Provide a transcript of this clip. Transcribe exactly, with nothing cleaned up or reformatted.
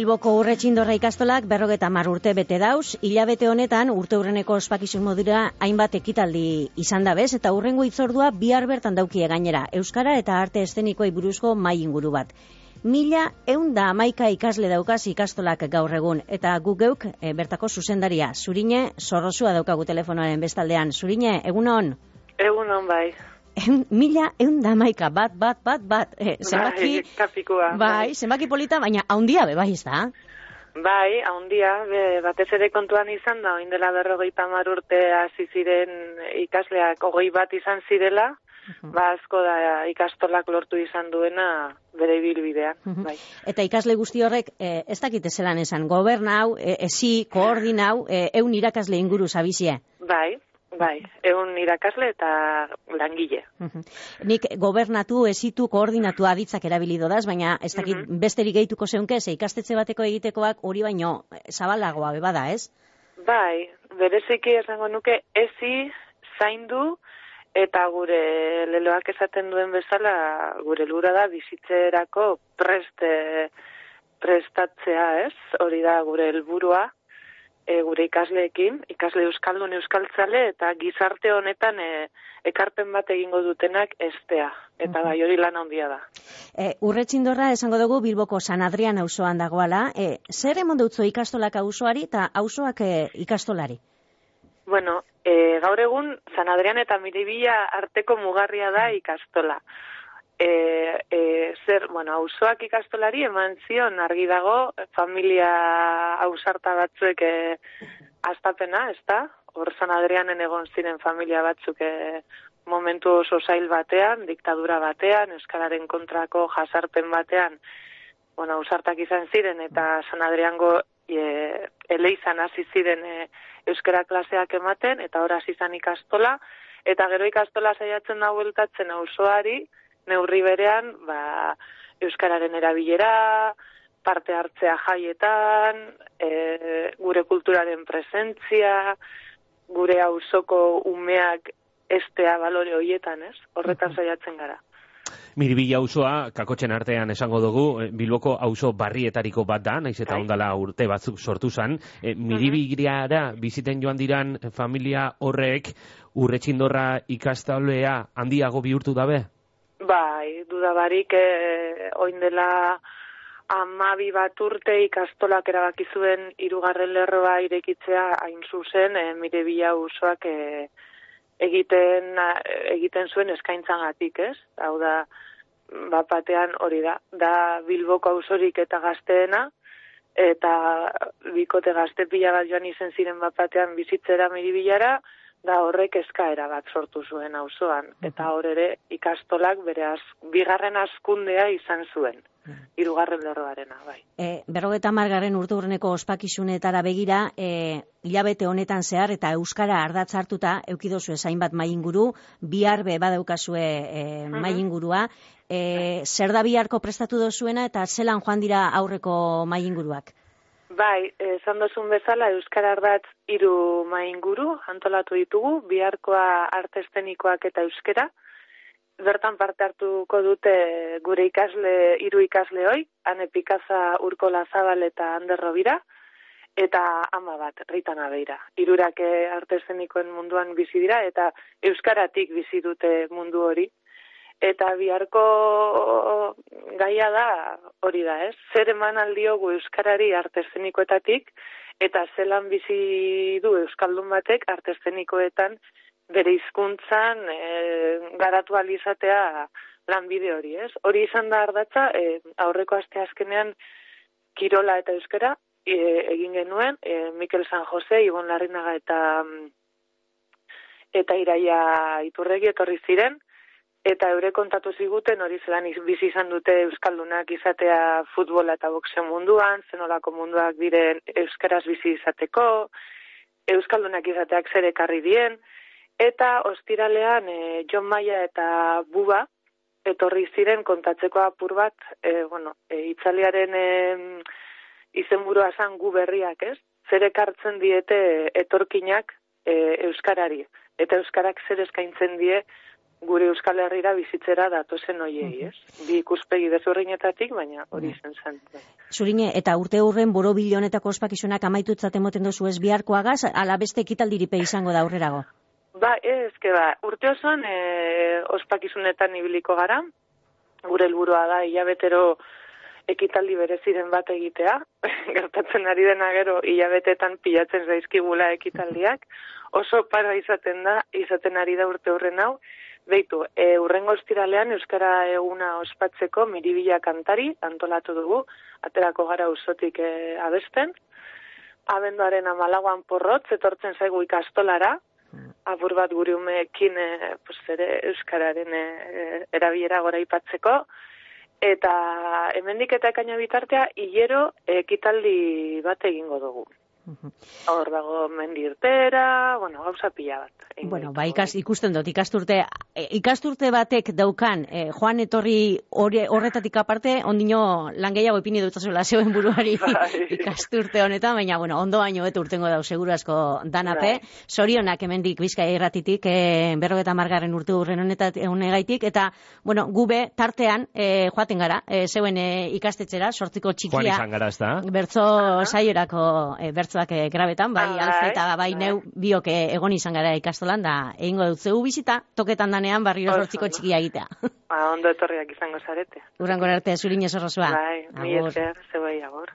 Bilboko Urretxindorra ikastolak berrogeta hamar urte bete dauz, hilabete honetan urte hurreneko ospakizun modura hainbat ekitaldi izan da bez, eta hurrengo hitzordua bihar bertan daukie gainera, euskara eta arte eszenikoei buruzko mai inguru bat. Mila eun da hamaika ikasle daukaz ikastolak gaur egun, eta guk geuk e, bertako zuzendaria, Zurine Zorrozua daukagu telefonoaren bestaldean. Zurine, egunon? Egunon bai. Eun, mila eun da hamaika, bat, bat, bat, bat. E, zenbaki, bai, kapikua. Bai, zenbaki polita, baina haundia be, bai, ez da? Bai, haundia, be, batez ere kontuan izan da, oin dela berrogeita hamar urte hasi ziren ikasleak hogei bat izan zirela, uh-huh. ba asko da ikastolak lortu izan duena bere ibilbidean. Uh-huh. Bai. Eta ikasle guzti horrek, e, ez dakite zelan esan, gobernau, e, ezi, koordinau, e, eun irakasle inguru zabizie? Bai. Bai, egun irakasle eta langile. Uh-huh. Nik gobernatu, ezitu, koordinatu aditzak erabilido daz, baina ez dakit uh-huh. besterik gehituko zeunke, ze ikastetxe bateko egitekoak hori baino zabalagoa bebada, ez? Bai, bereziki esango nuke ezi, zaindu, eta gure leloak esaten duen bezala, gure lura da bizitzerako prest, prestatzea, ez? Hori da gure helburua. E, gure ikasleekin, ikasle euskaldun euskaltzale eta gizarte honetan e, ekarpen bat egingo dutenak estea. Eta bai hori lan handia da. E, Urretxindorra esango dugu Bilboko San Adrian auzoan dagoala. E, zer emon dutzo ikastolak auzoari eta auzoak e, ikastolari? Bueno, e, gaur egun San Adrian eta Miribilla arteko mugarria da ikastola. E, e, zer, bueno, auzoak ikastolari eman zion argi dago, familia ausarta batzuek e, astapena, ez da? Hor San Adrianen egon ziren familia batzuk e, momentu oso zail batean, diktadura batean, euskararen kontrako jasarpen batean, bueno, ausartak izan ziren, eta San Adriango e, eleizan hasi ziren e, euskara klaseak ematen, eta hor hasi izan ikastola, eta gero ikastola saiatzen da bueltatzen auzoari, neurri berean, ba, euskararen erabilera, parte hartzea jaietan, e, gure kulturaren presentzia, gure auzoko umeak estea balore hoietan, ez? Horretan saiatzen gara. Miribilla auzoa, kakotxen artean esango dugu, Bilboko auzo barrietariko bat da, naiz eta ondala urte batzuk sortu zan. E, Miribillara biziten joan diran familia horrek, Urretxindorra ikastolea handiago bihurtu dabe? Bai, dudabarik eh, oin dela hamabi bat urte ikastolak erabaki zuen hirugarren lerroa irekitzea hain zuzen eh, Miribilla auzoak eh, egiten egiten zuen eskaintzagatik, ez? Hau da, bat batean hori da, da Bilboko auzorik eta gazteena, eta bikote gazte pila bat joan izen ziren bat batean bizitzera Miribillara, da horrek eskaera bat sortu zuen auzoan, eta hor ere ikastolak bere az, bigarren hazkundea izan zuen, hirugarren lerroarena, bai. E, berrogeta hamargarren urte hurreneko ospakizunetara begira, e, hilabete honetan zehar eta euskara ardatz hartuta eukidozu ezain bat mainguru, bihar be badaukazue e, maingurua, e, zer da biharko prestatu dozuena eta zelan joan dira aurreko mainguruak? Bai, esan dozun bezala, euskara ardatz hiru mainguru antolatu ditugu, biharkoa arte eszenikoak eta euskara. Bertan parte hartuko dute gure ikasle, hiru ikasle hoi, Ane Pikaza, Urkola Zabal eta Ander Robira, eta ama bat, Rita Nabeira. Hirurak arte eszenikoen munduan bizi dira, eta euskaratik bizi dute mundu hori. Eta biharko gaia da hori da, ez? Zer eman aldiogu euskarari arte eszenikoetatik, eta zelan bizi du euskaldun batek arte eszenikoetan bere hizkuntzan e, garatu ahal izatea lanbide hori, ez? Hori izan da ardatza, e, aurreko aste azkenean kirola eta euskara e, egin genuen, e, Mikel San Jose, Ibon Larrinaga eta eta Iraia Iturregi etorri ziren, eta eure kontatu ziguten hori zelan bizi izan dute euskaldunak izatea futbola eta boxeo munduan, zenolako munduak diren euskaraz bizi izateko, euskaldunak izateak zer ekarri dien, eta ostiralean e, Jon Maia eta Buba etorri ziren kontatzeko apur bat, e, bueno, e, itzaliaren e, izenburua zan gu berriak, ez? Zer ekartzen diete etorkinak e, euskarari, eta euskarak zer eskaintzen die gure Euskal Herrira bizitzera datozen hoiei, ez? Bi ikuspegi desberdinetatik, baina hori zen zen. Zurine, eta urte hurren borobil honetako ospakizunak amaitutzat emoten dozu ez biharkoagaz, ala beste ekitaldiripe izango da aurrerago? Ba, ez, que ba, urte osoan e, ospakizunetan ibiliko gara, gure helburua da hilabetero ekitaldi bereziren bat egitea, gertatzen ari dena gero hilabetetan pilatzen zaizkigula ekitaldiak, oso para izaten da, izaten ari da urte hurren hau, beitu, e, urrengo ostiralean Euskara eguna ospatzeko miribila kantari antolatu dugu, aterako gara usotik e, abesten, abenduaren hamalauan porrotz, etortzen zaigu ikastolara, apur bat gure umeekin e, pues, ere Euskararen e, erabilera gora ipatzeko, eta hemendik eta ekaina bitartea hilero ekitaldi bat egingo dugu. Hor dago mendi irtera, bueno, gauza pila bat. Bueno, ba, ikas, ikusten dut, ikasturte, ikasturte batek daukan, eh, joan etorri horretatik aparte, ondino lan gehiago ipini dutazuela zeuen buruari ikasturte honetan, baina, bueno, ondo baino betu urtengo dau, seguru asko danape. Zorionak hemendik Bizkaia irratitik, eh, berrogeta margarren urte urren honegaitik, eta, bueno, gube tartean, eh, joaten gara, eh, zeuen eh, ikastetxera, sortziko txikia. Joan izan gara, ez da? Bertzo saiorako, eh, bertzoak eh, grabetan, bai, alfe eta bai neu biok egon izan gara ikastolan, da egingo dut zeu bizita, toketan danean barriro sortziko txikia egitea. Ba, ondo etorriak izango zarete. Urrangor arte, Zurin ez horrozua. Bai, mi esker, zeu agur.